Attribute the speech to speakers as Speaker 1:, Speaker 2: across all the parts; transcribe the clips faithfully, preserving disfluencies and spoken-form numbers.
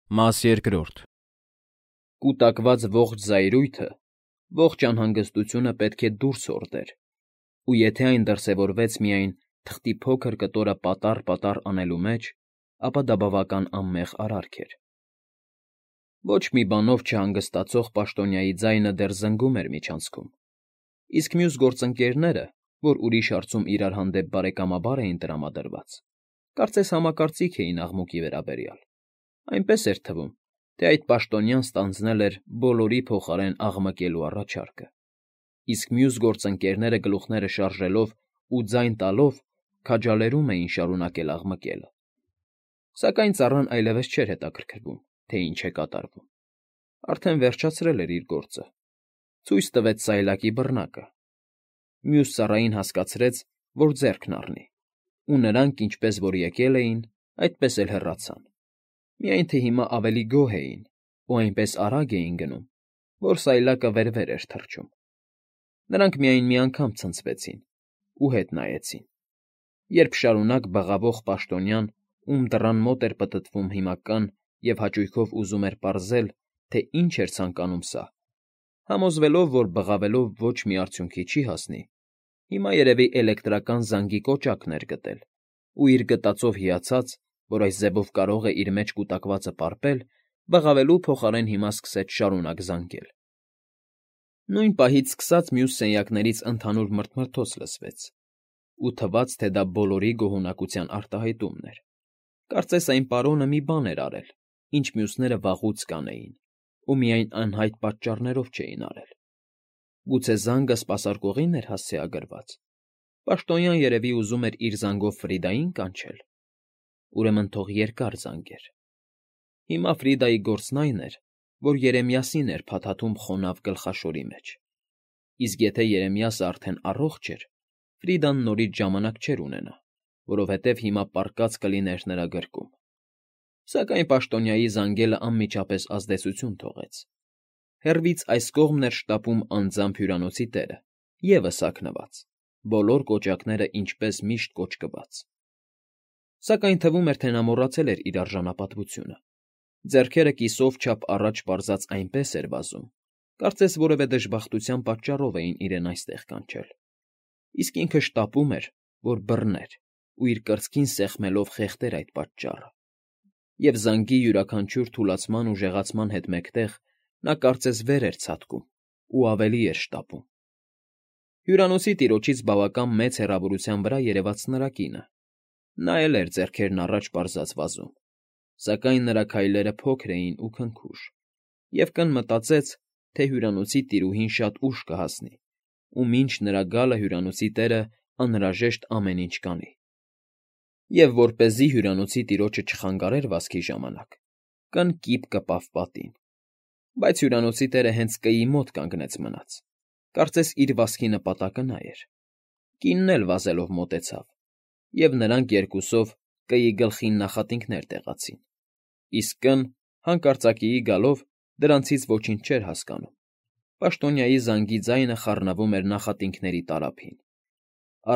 Speaker 1: Մաս երկրորդ Կուտակված ողջ զայրույթը, ողջ անհանգստությունը պետք է դուրս հորդեր, ու եթե այն դրսևորվեց միայն թղթի փոքր կտորը պատառ֊պատառ անելու մեջ, ապա դա բավական անմեղ արարք էր։ Ոչ մի բանով չհանգստացող պաշտոնյայի ձայնը դեռ զնգում էր միջանցքում, իսկ մյուս գործընկերները, որ ուրիշ հարցում իրար հանդեպ բարեկամաբար էին տրամադրված, կարծես համակարծիք էին աղմուկի վերաբերյալ, այնպես էր թվում, թե այդ պաշտոնյան ստանձնել էր բոլորի փոխարեն աղմկելու առաջարկը, իսկ մյուս գործընկերները գլուխները շարժելով ու ձայն տալով քաջալերում էին շարունակել աղմկելը։ Սակայն ծառան այլևս չէր հետաքրքրվում, թե ինչ է կատարվում, արդեն վերջացրել էր իր գործը, ցույց տվեց սայլակի բռնակը, մյուս ծառային հասկացրեց, որ ձեռքն առնի, ու նրանք, ինչպես որ եկել էին, այդպես էլ հեռացան, միայն թե հիմա ավելի գոհ էին ու այնպես արագ էին գնում, որ սայլակը վեր֊վեր էր թռչում։ Նրանք միայն մի անգամ ցնցվեցին ու հետ նայեցին, երբ շարունակ բղավող պաշտոնյան, ում դռան մոտ էր պտտվում հիմա կան և հաճույքով ուզում էր պարզել, թե ինչ էր ցանկանում սա, համոզվելով, որ բղավելով ոչ մի արդյունքի չի հասնի, հիմա երևի էլեկտրական զանգի կոճակն էր գտել ու իր գտածով հիացած, որ այս ձևով կարող է իր մեջ կուտակվածը պարպել, բղավելու փոխարեն հիմա սկսեց շարունակ զանգել։ Նույն պահից սկսած մյուս սենյակներից ընդհանուր մռթմռթոց լսվեց, ու թվաց, թե դա բոլորի գոհունակության արտահայտումն էր։ Կարծես այն պարոնը մի բան էր արել, ինչ մյուսները վաղուց կանեին, ու միայն անհայտ պատճառներով չէին արել։ Գուցե զանգը սպասարկողին էր հասցեագրված։ Պաշտոնյան երևի ուզում էր իր զանգով Ֆրիդային կանչել։ Ուրեմն թող երկար զանգեր։ Հիմա Ֆրիդայի գործն այն էր, որ Երեմիասին էր փաթաթում խոնավ գլխաշորի մեջ, իսկ եթե Երեմիասը արդեն առողջ էր, Ֆրիդան նորից ժամանակ չէր ունենա, որովհետև հիմա պառկած կլիներ նրա գրկում։ Սակայն պաշտոնյայի զանգելը անմիջապես ազդեցություն թողեց։ Հեռվից այս կողմն էր շտապում անձամբ հյուրանոցի տերը, ևս հագնված, բոլոր կոճակները ինչպես միշտ կոճկված։ Սակայն թվում էր, թե նա մոռացել էր իր արժանապատվությունը։ Ձեռքերը կիսով չափ առաջ պարզած այնպես էր վազում, կարծես որևէ դժբախտության պատճառով էին իրեն այստեղ կանչել, իսկ ինքը շտապում էր, որ բռներ ու իր կրծքին սեղմելով խեղդեր այդ պատճառը։ Եվ զանգի յուրաքանչյուր թուլացման ու ժեղացման հետ մեկտեղ նա կարծես վեր էր ցատկում ու ավելի էր շտապում։ Հյուրանոցի տիրոջից բավական մեծ հեռավորության վրա երևաց նրա կինը։ Նա էլ էր ձեռքերն առաջ պարզած վազում, սակայն նրա քայլերը փոքր էին ու քնքուշ, և կն մտածեց, թե հյուրանոցի տիրուհին շատ ուշ կհասնի, ու մինչ նրա գալը հյուրանոցի տերը անհրաժեշտ ամեն ինչ կանի։ Եվ որպեսզի հյուրանոցի տիրոջը չխանգարեր վազքի ժամանակ, կն կիպ կպավ պատին։ Բայց հյուրանոցի տերը հենց կîի մոտ կանգնեց մնաց, կարծես իր վազքի նպատակը նա էր։ Կինն էլ վազելով մոտեցավ, և նրանք երկուսով կîի գլխին նախատինքներ տեղացին, իսկ կն, հանկարծակիի գալով, դրանցից ոչինչ չէր հասկանում։ Պաշտոնյայի զանգի ձայնը խառնվում էր նախատինքների տարափին։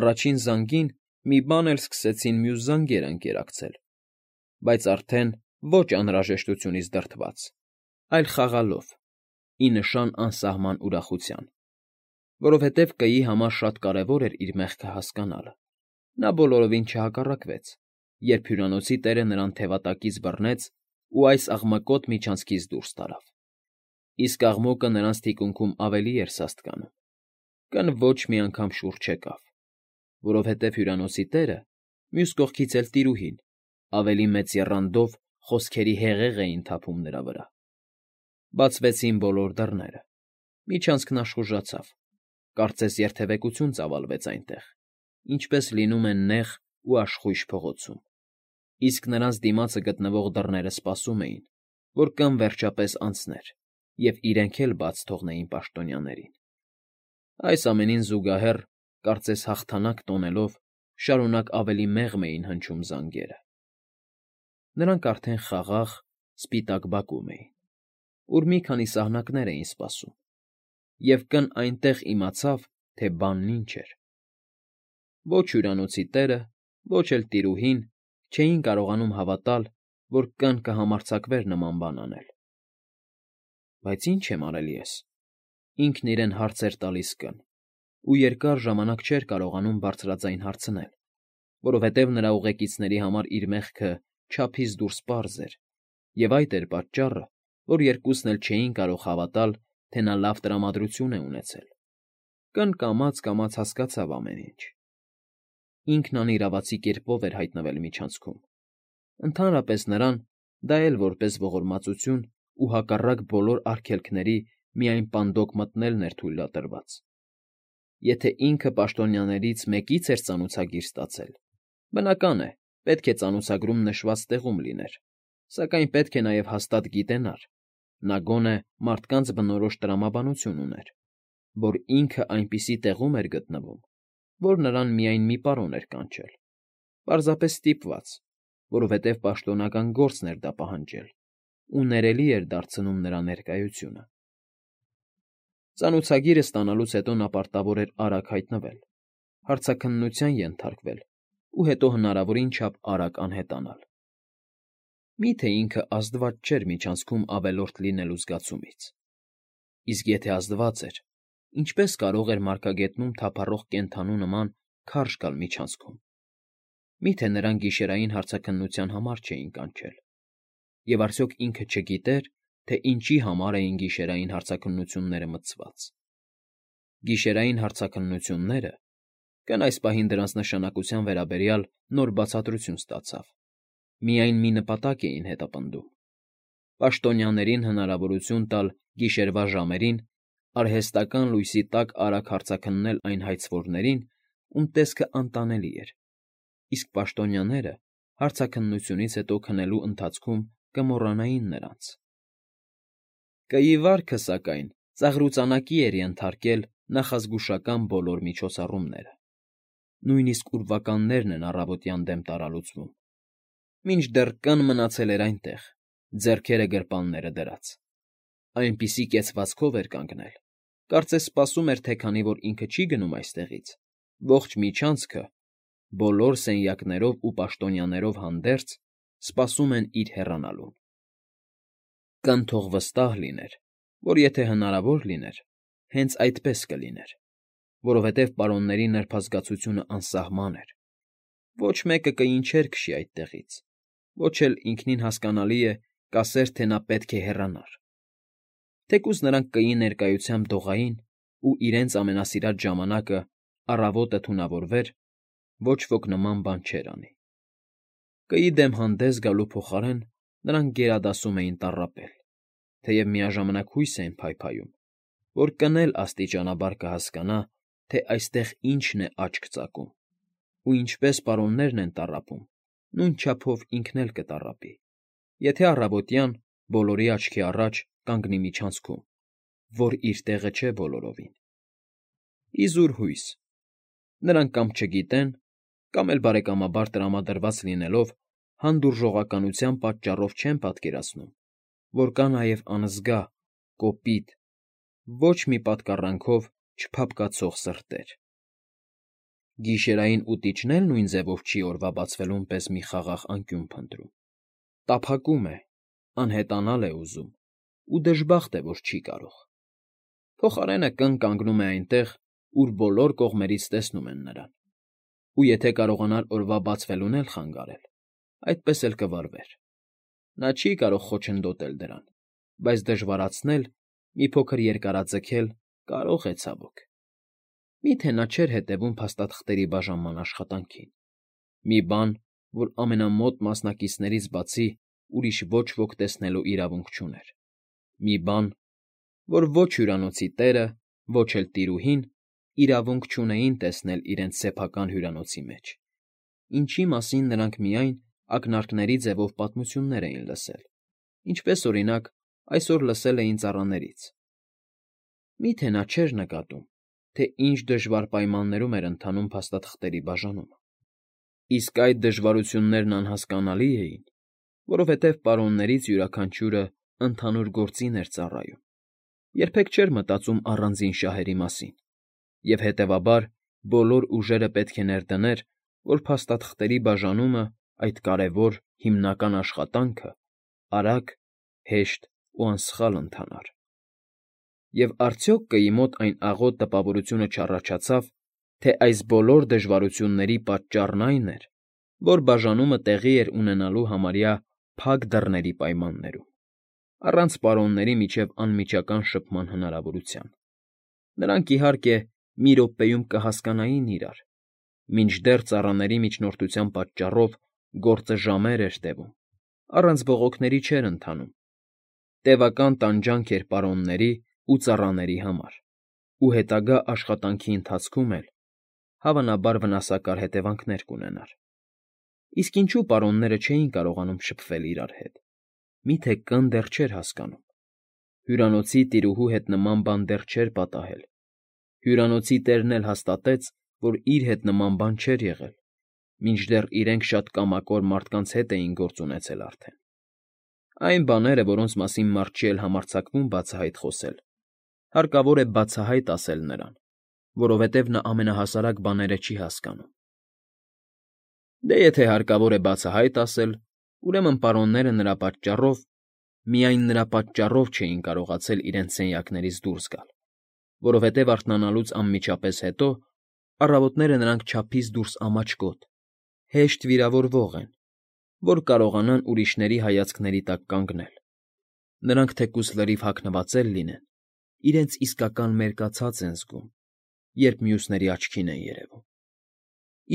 Speaker 1: Առաջին զանգին մի բան էլ սկսեցին մյուս զանգերը ընկերակցել, բայց արդեն ոչ անհրաժեշտությունից դրդված, այլ խաղալով, ի նշան անսահման ուրախության, որովհետև կîի համար շատ կարևոր էր իր մեղքը հասկանալը։ Նա բոլորովին չհակառակվեց, երբ հյուրանոցի տերը նրան թևատակից բռնեց ու այս աղմկոտ միջանցքից դուրս տարավ։ Իսկ աղմուկը նրանց թիկունքում ավելի էր սաստկանում։ Կն ոչ մի անգամ շուռ չեկավ, որովհետև հյուրանոցի տերը, մյուս կողքից էլ տիրուհին, ավելի մեծ եռանդով խոսքերի հեղեղ էին թափում նրա վրա։ Բացվեցին բոլոր դռները։ Միջանցքն աշխուժացավ, կարծես երթևեկություն ծավալվեց այնտեղ, ինչպես լինում է նեղ ու աշխույժ փողոցում, իսկ նրանց դիմացը գտնվող դռները սպասում էին, որ կն վերջապես անցներ և իրենք էլ բաց թողնեին պաշտոնյաներին։ Այս ամենին զուգահեռ, կարծես հաղթանակ տոնելով, շարունակ ավելի մեղմ էին հնչում զանգերը։ Նրանք արդեն խաղաղ, սպիտակ բակում էին, ուր մի քանի սահնակներ էին սպասում, և կն այնտեղ իմացավ, թե բանն ինչ էր։ Ոչ հյուրանոցի տերը, ոչ էլ տիրուհին չէին կարողանում հավատալ, որ կն կհամարձակվեր նման բան անել։ Բայց ի՞նչ եմ արել ես, ինքն իրեն հարց էր տալիս կն, ու երկար ժամանակ չէր կարողանում բարձրաձայն հարցնել, որովհետև նրա ուղեկիցների համար իր մեղքը չափից դուրս պարզ էր, և այդ էր պատճառը, որ երկուսն էլ չէին կարող հավատալ, թե նա լավ տրամադրություն է ունեցել։ Կն կամաց֊կամաց հասկացավ ամեն ինչ։ Ինքն անիրավացի կերպով էր հայտնվել միջանցքում։ Ընդհանրապես նրան դա էլ որպես ողորմածություն ու հակառակ բոլոր արգելքների միայն պանդոկ մտնելն էր թույլատրված։ Եթե ինքը պաշտոնյաներից մեկից էր ծանուցագիր ստացել, բնական է, պետք է ծանուցագրում նշված տեղում լիներ, սակայն պետք է նաև հաստատ գիտենար, նա գոնե մարդկանց բնորոշ տրամաբանություն ուներ, որ ինքը այնպիսի տեղում էր գտնվում, որ նրան միայն մի պարոն էր կանչել, պարզապես ստիպված, որովհետև պաշտոնական գործն էր դա պահանջել, ու ներելի էր դարձնում նրա ներկայությունը։ Ծանուցագիրը ստանալուց հետո նա պարտավոր էր արագ հայտնվել, հարցաքննության ենթարկվել ու հետո հնարավորին չափ արագ անհետանալ։ Մի՞թե ինքը ազդված չէր միջանցքում ավելորդ լինելու զգացումից։ Իսկ եթե ազդված էր, ինչպե՞ս կարող էր մարգագետնում թափառող կենդանու նման քարշ գալ միջանցքում։ Մի՞թե նրան գիշերային հարցաքննության համար չէին կանչել։ Եվ արդյոք ինքը չգիտեր, թե ինչի համար էին գիշերային հարցաքննությունները մտցված։ Գիշերային հարցաքննությունները կն այս պահին դրանց նշանակության վերաբերյալ նոր բացատրություն ստացավ, միայն մի նպատակ էին հետապնդում. պաշտոնյաներին հնարավորություն տալ գիշերվա ժամերին արհեստական լույսի տակ արագ հարցաքննել այն հայցվորներին, ում տեսքը անտանելի էր, իսկ պաշտոնյաները հարցաքննությունից հետո քնելու ընթացքում կմոռանային նրանց։ Կըի վարքը, սակայն, ծաղրուծանակի էր ենթարկել նախազգուշական բոլոր միջոցառումները, նույնիսկ ուրվականներն են առավոտյան դեմ տարալուծվում, մինչդեռ կն մնացել էր այնտեղ, ձեռքերը գրպանները դրած, այնպիսի կեցվածքով էր կանգնել, կարծես սպասում էր, թե քանի որ ինքը չի գնում այստեղից, ողջ միջանցքը, բոլոր սենյակներով ու պաշտոնյաներով հանդերձ, սպասում են իր հեռանալուն։ Կն թող վստահ լիներ, որ եթե հնարավոր լիներ, հենց այդպես կլիներ, որովհետև պարոնների նրբազգացությունը անսահման էր, ոչ մեկը կընչեր քշի այդտեղից, ոչ էլ ինքնին հասկանալի է, կասեր, թե նա պետք է հեռանար։ Թեկուզ նրանք կըի ներկայությամբ դողային ու իրենց ամենասիրած ժամանակը առավոտը թունավորվեր, ոչ ոք նման բան չէր անի։ Կըի դեմ հանդես գալու փոխարեն նրանք գերադասում էին տառապել, թեև միաժամանակ հույս էին փայփայում, որ կն էլ աստիճանաբար կհասկանա, թե այստեղ ինչն է աչք ծակում, ու ինչպես պարոններն են տառապում, նույն չափով ինքն էլ կտառապի, եթե առավոտյան բոլորի աչքի առաջ կանգնի միջանցքում, որ իր տեղը չէ բոլորովին։ Իզուր հույս։ Նրանք կամ չգիտեն, կամ էլ բարեկամաբար տրամադրված լինելով, հանդուրժողականության պատճառով չեն պատկերացնում, որ կա նաև անզգա, կոպիտ, ոչ մի պատկառանքով չփափկացող սրտեր։ Գիշերային ուտիչն էլ նույն ձևով չի օրվա բացվելուն պես մի խաղաղ անկյուն փնտրում, տափակում է, անհետանալ է ուզում, ու դժբախտ է, որ չի կարող։ Փոխարենը կն կանգնում է այնտեղ, ուր բոլոր կողմերից տեսնում են նրան, ու եթե կարողանար օրվա բացվելուն էլ խանգարել, այդպես էլ կվարվեր։ Նա չի կարող խոչընդոտել դրան, բայց դժվարացնել, մի փոքր երկարաձգել կարող է ցավոք։ Մի՞թե նա չէր հետևում փաստաթղթերի բաժանման աշխատանքին, մի բան, որ ամենամոտ մասնակիցներից բացի ուրիշ ոչ ոք տեսնելու իրավունք չուներ, մի բան, որ ոչ հյուրանոցի տերը, ոչ էլ տիրուհին իրավունք չունեին տեսնել իրենց սեփական հյուրանոցի մեջ, ինչի մասին նրանք միայն ակնարկների ձևով պատմություններ էին լսել, ինչպես, օրինակ, այսօր լսել էին ծառաներից։ Մի՞թե նա չէր նկատում, թե ինչ դժվար պայմաններում էր ընթանում փաստաթղթերի բաժանումը։ Իսկ այդ դժվարություններն անհասկանալի էին, որովհետև պարոններից յուրաքանչյուրը ընդհանուր գործին էր ծառայում, երբեք չէր մտածում առանձին շահերի մասին, և հետևաբար բոլոր ուժերը պետք է ներդներ, որ փաստաթղթերի բաժանումը այդ կարևոր, հիմնական աշխատանքը արագ, հեշտ ու անսխալ ընթանար։ Եվ արդյոք կայի մոտ այն աղոտ տպավորությունը չառաջացավ, թե այս բոլոր դժվարությունների պատճառն այն էր, որ բաժանումը տեղի էր ունենալու համարյա փակ դռների պայմաններում, առանց պարոնների միջև անմիջական շփման հնարավորության։ Նրանք, իհարկե, մի րոպեում կհասկանային իրար, մինչդեռ ծառաների միջնորդության պատճառով գործը ժամեր էր տևում, առանց բողոքների չէր ընթանում, տևական տանջանք էր պարոնների ու ծառաների համար, ու հետագա աշխատանքի ընթացքում էլ, հավանաբար, վնասակար հետևանքներ կունենար։ Իսկ ինչու պարոնները չէին կարողանում շփվել իրար հետ, միթե կն դեռ չէր հասկանում։ Հյուրանոցի տիրուհու հետ նման բան դեռ չէր պատահել, հյուրանոցի տերն էլ հաստատեց, որ իր հետ նման բան չէր եղել, մինչդեռ իրենք շատ կամակոր մարդկանց հետ էին գործ ունեցել արդեն։ Այն բաները, որոնց մասին մարդ չի էլ համարձակվում բացահայտ խոսել, հարկավոր է բացահայտ ասել նրան, որովհետև նա ամենահասարակ բաները չի հասկանում։ Դե եթե հարկավոր է բացահայտ ասել, ուրեմն պարոնները նրա պատճառով, միայն նրա պատճառով չէին կարողացել իրենց սենյակներից դուրս գալ, որովհետև արթնանալուց անմիջապես հետո առավոտները նրանք չափից դուրս ամաչկոտ, հեշտ վիրավորվող են, որ կարողանան ուրիշների հայացքների տակ կանգնել։ Նրանք թեկուզ լրիվ հագնված էլ լինեն, իրենց իսկական մերկացած են զգում, երբ մյուսների աչքին են երևում։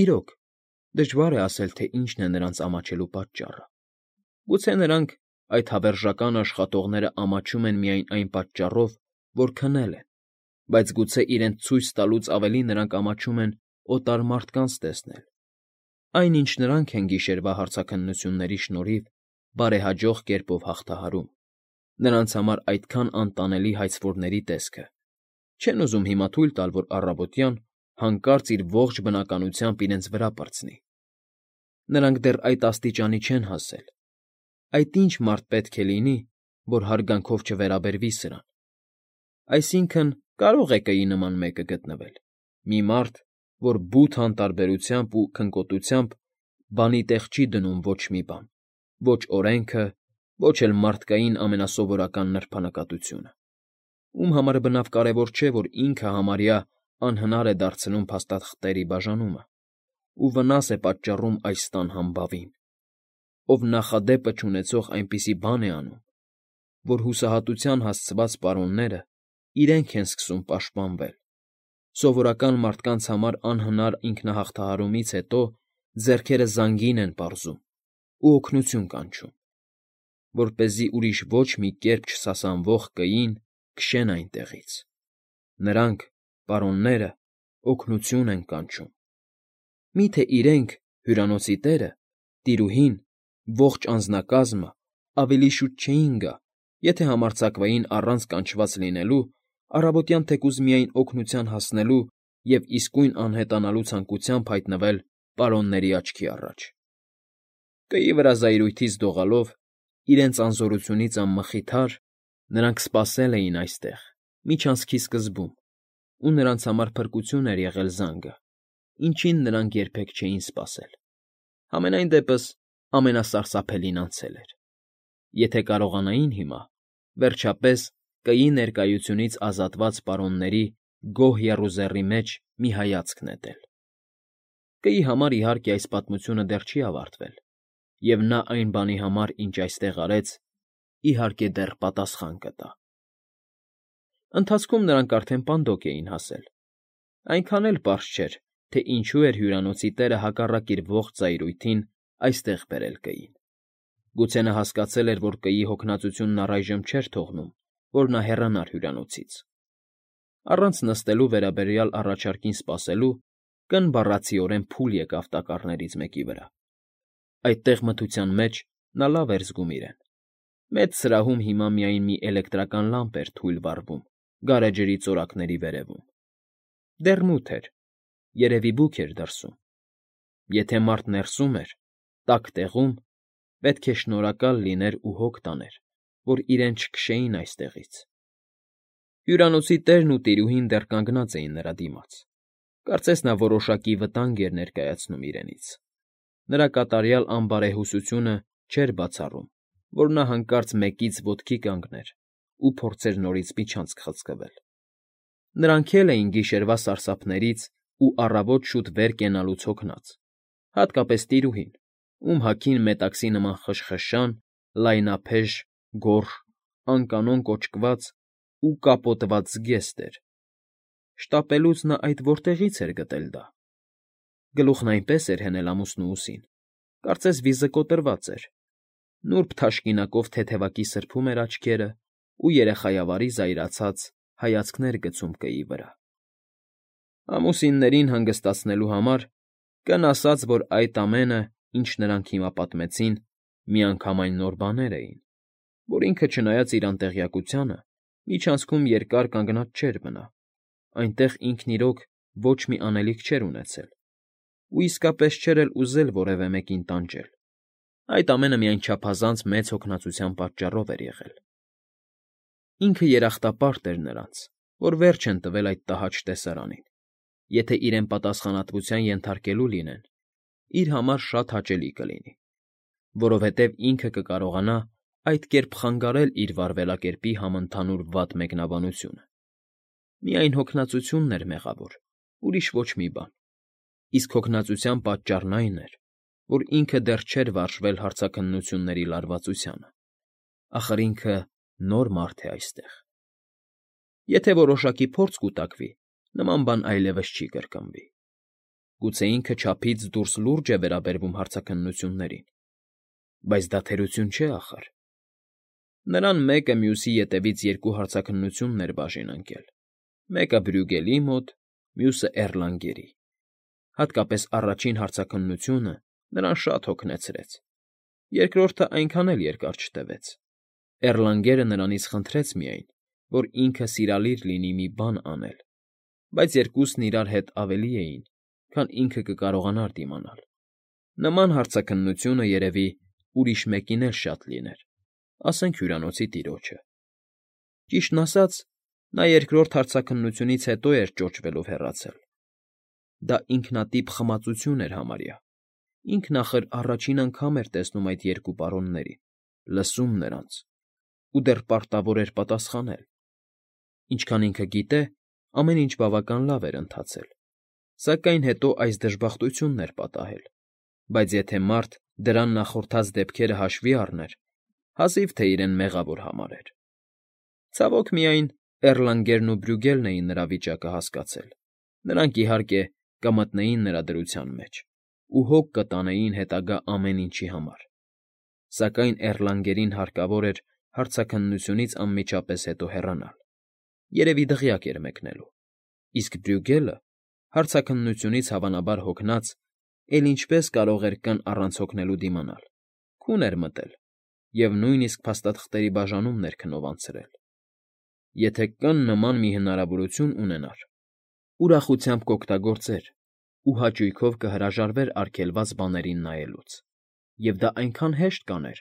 Speaker 1: Իրոք, դժվար է ասել, թե ինչն է նրանց ամաչելու պատճառը։ Գուցե նրանք, այդ հավերժական աշխատողները, ամաչում են միայն այն պատճառով, որ քնել են, բայց գուցե իրենց ցույց տալուց ավելի նրանք ամաչում են օտար մարդկանց տեսնել, այն, ինչ նրանք են գիշերվա հարցաքննությունների շնորհիվ բարեհաջող կերպով հաղթահարում, նրանց համար այդքան անտանելի հայցվորների տեսքը, չեն ուզում հիմա թույլ տալ, որ առավոտյան հանկարծ իր ողջ բնականությամբ իրենց վրա պրծնի։ Նրանք դեռ այդ աստիճանի չեն հասել։ Այդ ինչ մարդ պետք է լինի, որ հարգանքով չվերաբերվի սրան։ Այսինքն, կարող է կայի նման մեկը գտնվել, մի մարդ, որ բութ անտարբերությամբ ու քնկոտությամբ բանի տեղ չի դնում ոչ մի բան, ոչ օրենքը, ոչ էլ մարդկային ամենասովորական նրբանկատությունը, ում համար բնավ կարևոր չէ, որ ինքը համարյա անհնար է դարձնում փաստաթղթերի բաժանումը ու վնաս է պատճառում այս տան համբավին, ով նախադեպը չունեցող այնպիսի բան է անում, որ հուսահատության հասցված պարոնները իրենք են սկսում պաշտպանվել, սովորական մարդկանց համար անհնար ինքնահաղթահարումից հետո ձեռքերը զանգին են պարզում ու օգնություն կանչում, որպեսզի ուրիշ ոչ մի կերպ չսասանվող կային քշեն այնտեղից։ Նրանք, պարոնները, օգնություն են կանչում։ Մի՞թե իրենք, հյուրանոցի տերը, տիրուհին, ողջ անձնակազմը ավելի շուտ չէին գա, եթե համարձակվեին առանց կանչված լինելու, առավոտյան թեկուզ միայն օգնության հասնելու և իսկույն անհետանալու ցանկությամբ հայտնվել պարոնների աչքի առաջ։ Կայի վրա զայրույթից դողալով, իրենց անզորությունից անմխիթար, նրանք սպասել էին այստեղ, միջանցքի սկզբում, ու նրանց համար փրկություն էր եղել զանգը, ինչին նրանք երբեք չէին սպասել։ Համենայն դեպս, ամենասարսափելին անցել էր։ Եթե կարողանային հիմա, վերջապես, կայի ներկայությունից ազատված պարոնների գոհ եռուզեռի մեջ մի հայացք նետել։ Կայի համար, իհարկե, այս պատմությունը դեռ չի ավարտվել, և նա այն բանի համար, ինչ այստեղ արեց, իհարկե, դեռ պատասխան կտա։ Ընթացքում նրանք արդեն Պանդոկ էին հասել։ Այնքան էլ պարզ չէր, թե ինչու էր հյուրանոցի տերը հակառակ իր ողջ զայրույթին այստեղ բերել կային։ Գուցե նա հասկացել էր, որ կայի հոգնածությունն առայժմ չէր թողնում, որ նա հեռանար հյուրանոցից։ Առանց նստելու վերաբերյալ առաջարկին սպասելու, կն բառացիորեն փուլ եկավ տակառներից մեկի վրա։ Այդտեղ մթության մեջ նա լավ էր զգում իրեն։ Մեծ սրահում հիմա միայն մի էլեկտրական լամպ էր թույլ վառվում գարեջրի ծորակների վերևում։ Դեռ մութ էր, երևի բուք էր դրսում։ Եթե մարդ ներսում էր, տաք տեղում, պետք է շնորհակալ լիներ ու հոգ տաներ, որ իրեն չքշեին այստեղից։ Հյուրանոցի տերն ու տիրուհին դեռ կանգնած էին նրա դիմաց։ Կարծես նա որոշակի վտանգ էր ներկայացնում իրենից։ նրա կատարյալ անբարեհուսությունը չէր բացառում, որ նա հանկարծ մեկից ոտքի կանգներ ու փորձեր նորից միջանցք խցկվել։ Նրանք էլ էին գիշերվա սարսափներից ու առավոտ շուտ վեր կենալուց հոգնած, հատկապես տիրուհին, ում հագին մետաքսի նման խշխշան, լայնափեշ, գորշ, անկանոն կոճկված ու կապոտված զգեստ էր։ Շտապելուց նա այդ որտեղի՞ց էր գտել դա։ Գլուխն այնպես էր հենել ամուսնու ուսին, կարծես վիզը կոտրված էր, նուրբ թաշկինակով թեթևակի սրբում էր աչքերը ու երեխայավարի զայրացած հայացքներ գցում կեի վրա։ Ամուսիններին հանգստացնելու համար կն ասած, որ այդ ամենը, ինչ նրանք հիմա պատմեցին, միանգամայն նոր բաներ էին, որ ինքը, չնայած իր անտեղյակությանը, միջանցքում երկար կանգնած չէր մնա, այնտեղ ինքն իրոք ոչ մի անելիք չէր ունեցել ու իսկապես չէր էլ ուզել որևէ մեկին տանջել, այդ ամենը միայն չափազանց մեծ հոգնածության պատճառով էր եղել։ Ինքը երախտապարտ էր նրանց, որ վերջ են տվել այդ տհաճ տեսարանին, եթե իրեն պատասխանատվության ենթարկելու լինեն, իր համար շատ հաճելի կլինի, որովհետև ինքը կկարողանա այդ կերպ խանգարել իր վարվելակերպի համընդհանուր վատ մեկնաբանությունը։ Միայն հոգնածությունն էր մեղավոր, ուրիշ ոչ մի բան, իսկ հոգնածության պատճառն այն էր, որ ինքը դեռ չէր վարժվել հարցաքննությունների լարվածությանը, ախր ինքը նոր մարդ է այստեղ։ Եթե որոշակի փորձ կուտակվի, նման բան այլևս չի կրկնվի։ Գուցե ինքը չափից դուրս լուրջ է վերաբերվում հարցաքննություններին, բայց դա թերություն չէ ախր։ Նրան մեկը մյուսի ետևից երկու հարցաքննություններ էր բաժին ընկել, մեկը Բրյուգելի մոտ, մյուսը Էռլանգերի։ Հատկապես առաջին հարցաքննությունը նրան շատ հոգնեցրեց, երկրորդը այնքան էլ երկար չտևեց։ Էռլանգերը նրանից խնդրեց միայն, որ ինքը սիրալիր լինի մի բան անել, բայց երկուսն իրար հետ ավելի էին, քան ինքը կկարողանար դիմանալ։ Նման հարցաքննությունը, երևի, ուրիշ մեկին էլ շատ լիներ, ասենք հյուրանոցի տիրոջը։ Ճիշտն ասած, նա երկրորդ հարցաքննությունից հետո էր ճոճվելով հեռացել։ Դա ինքնատիպ խմածություն էր համարյա։ Ինքն ախր առաջին անգամ էր տեսնում այդ երկու պարոններին, լսում նրանց ու դեռ պարտավոր էր պատասխանել։ Ինչքան ինքը գիտե, ամեն ինչ բավական լավ էր ընթացել, սակայն հետո այս դժբախտությունն էր պատահել, բայց եթե մարդ դրան նախորդած դեպքերը հաշվի առներ, հազիվ թե իրեն մեղավոր համարեր։ Ցավոք միայն Էռլանգերն ու Բրյուգելն էին նրա վիճակը հասկացել, նրանք, իհարկե, կմտնեին նրա դրության մեջ ու հոգ կտանեին հետագա ամեն ինչի համար, սակայն Էռլանգերին հարկավոր էր հարցաքննությունից անմիջապես հետո հեռանալ, երևի դղյակ էր մեկնելու, իսկ Բրյուգելը, հարցաքննությունից հավանաբար հոգնած, էլ ինչպես կարող էր կն առանց հոգնելու դիմանալ, քուն էր մտել և նույնիսկ փաստաթղթերի բաժանումն էր քնով անցրել։ Եթե կն նման մի հնարավորություն ունենար, ուրախությամբ կօգտագործեր ու հաճույքով կհրաժարվեր արգելված բաներին նայելուց, և դա այնքան հեշտ կաներ,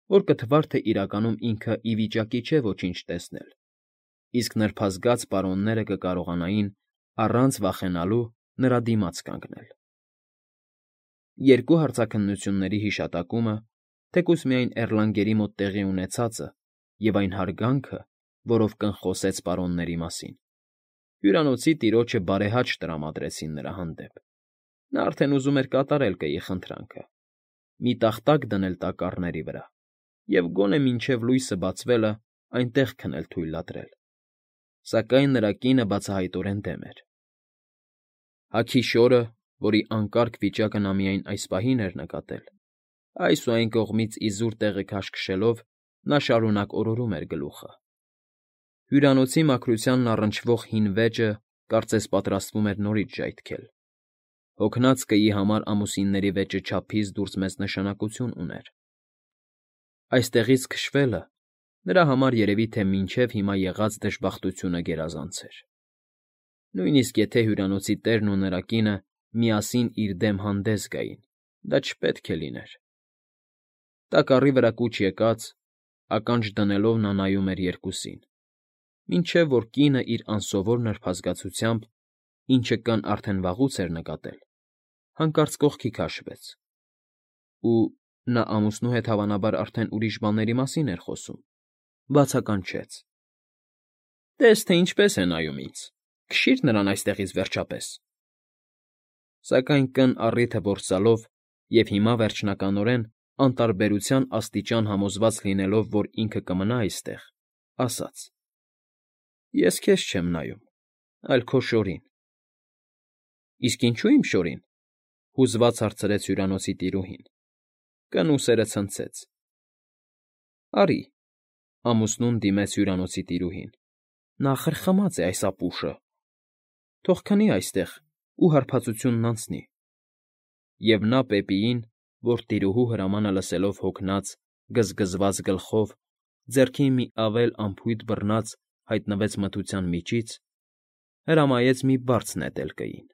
Speaker 1: որ կթվար, թե իրականում ինքը ի վիճակի չէ ոչինչ տեսնել, իսկ նրբազգաց պարոնները կկարողանային առանց վախենալու նրա դիմաց կանգնել։ Երկու հարցաքննությունների հիշատակումը, թեկուզ միայն Էռլանգերի մոտ տեղի ունեցածը և այն հարգանքը, որով կնխոսեց պարոնների մասին, հյուրանոցի տիրոջը բարեհաճ տրամադրեցին նրա հանդեպ։ Նա արդեն ուզում էր կատարել կեի խնդրանքը, մի տախտակ դնել տակառների վրա և գոնե մինչև լույսը բացվելը այնտեղ քնել թույլատրել, սակայն նրա կինը բացահայտորեն դեմ էր։ Հագի շորը, որի անկարգ վիճակը նա միայն այս պահին էր նկատել, այս ու այն կողմից իզուր տեղը քաշքշելով, նա շարունակ օրորում էր գլուխը։ Հյուրանոցի մաքրությանն առնչվող հին վեճը կարծես պատրաստվում էր նորից ժայթքել։ Հոգնած կեի համար ամուսինների վեճը չափից դուրս մեծ նշանակություն ուներ։ Այստեղից քշվելը նրա համար երևի թե մինչև հիմա եղած դժբախտությունը գերազանց էր։ Նույնիսկ եթե հյուրանոցի տերն ու նրա կինը միասին իր դեմ հանդես գային, դա չպետք է լիներ։ Տակառի վրա կուչ եկած, ականջ դնելով նա նայում էր երկուսին, մինչև որ կինը իր անսովոր նրբազգացությամբ, ինչը կն արդեն վաղուց էր նկատել, հանկարծ կողքի քաշվեց Ու նա ամուսնու հետ, հավանաբար, արդեն ուրիշ բաների մասին էր խոսում, բացականչեց. ֊ Տես թե ինչպես է նայում ինձ, քշի՛ր նրան այստեղից, վերջապես… Սակայն կն առիթը որսալով և հիմա, վերջնականորեն, անտարբերության աստիճան համոզված լինելով, որ ինքը կմնա այստեղ, ասաց. ֊ Ես քեզ չեմ նայում, այլ քո շորին։ ֊ Իսկ ինչո՞ւ իմ շորին,֊ հուզված հարցրեց հյուրանոցի տիրուհին. կն ուսերը ցնցեց։ ֊ Արի…֊ ամուսնուն դիմեց հյուրանոցի տիրուհին։֊ Նա խրխմած է, այս ապուշը… Թող քնի այստեղ ու հարբածությունն անցնի… Եվ նա Պեպիին, որ տիրուհու հրամանը լսելով հոգնած, գզգզված գլխով, ձեռքին մի ավել անփույթ բռնած հայտնվեց մթության միջից, հրամայեց մի բարձ նետել կային։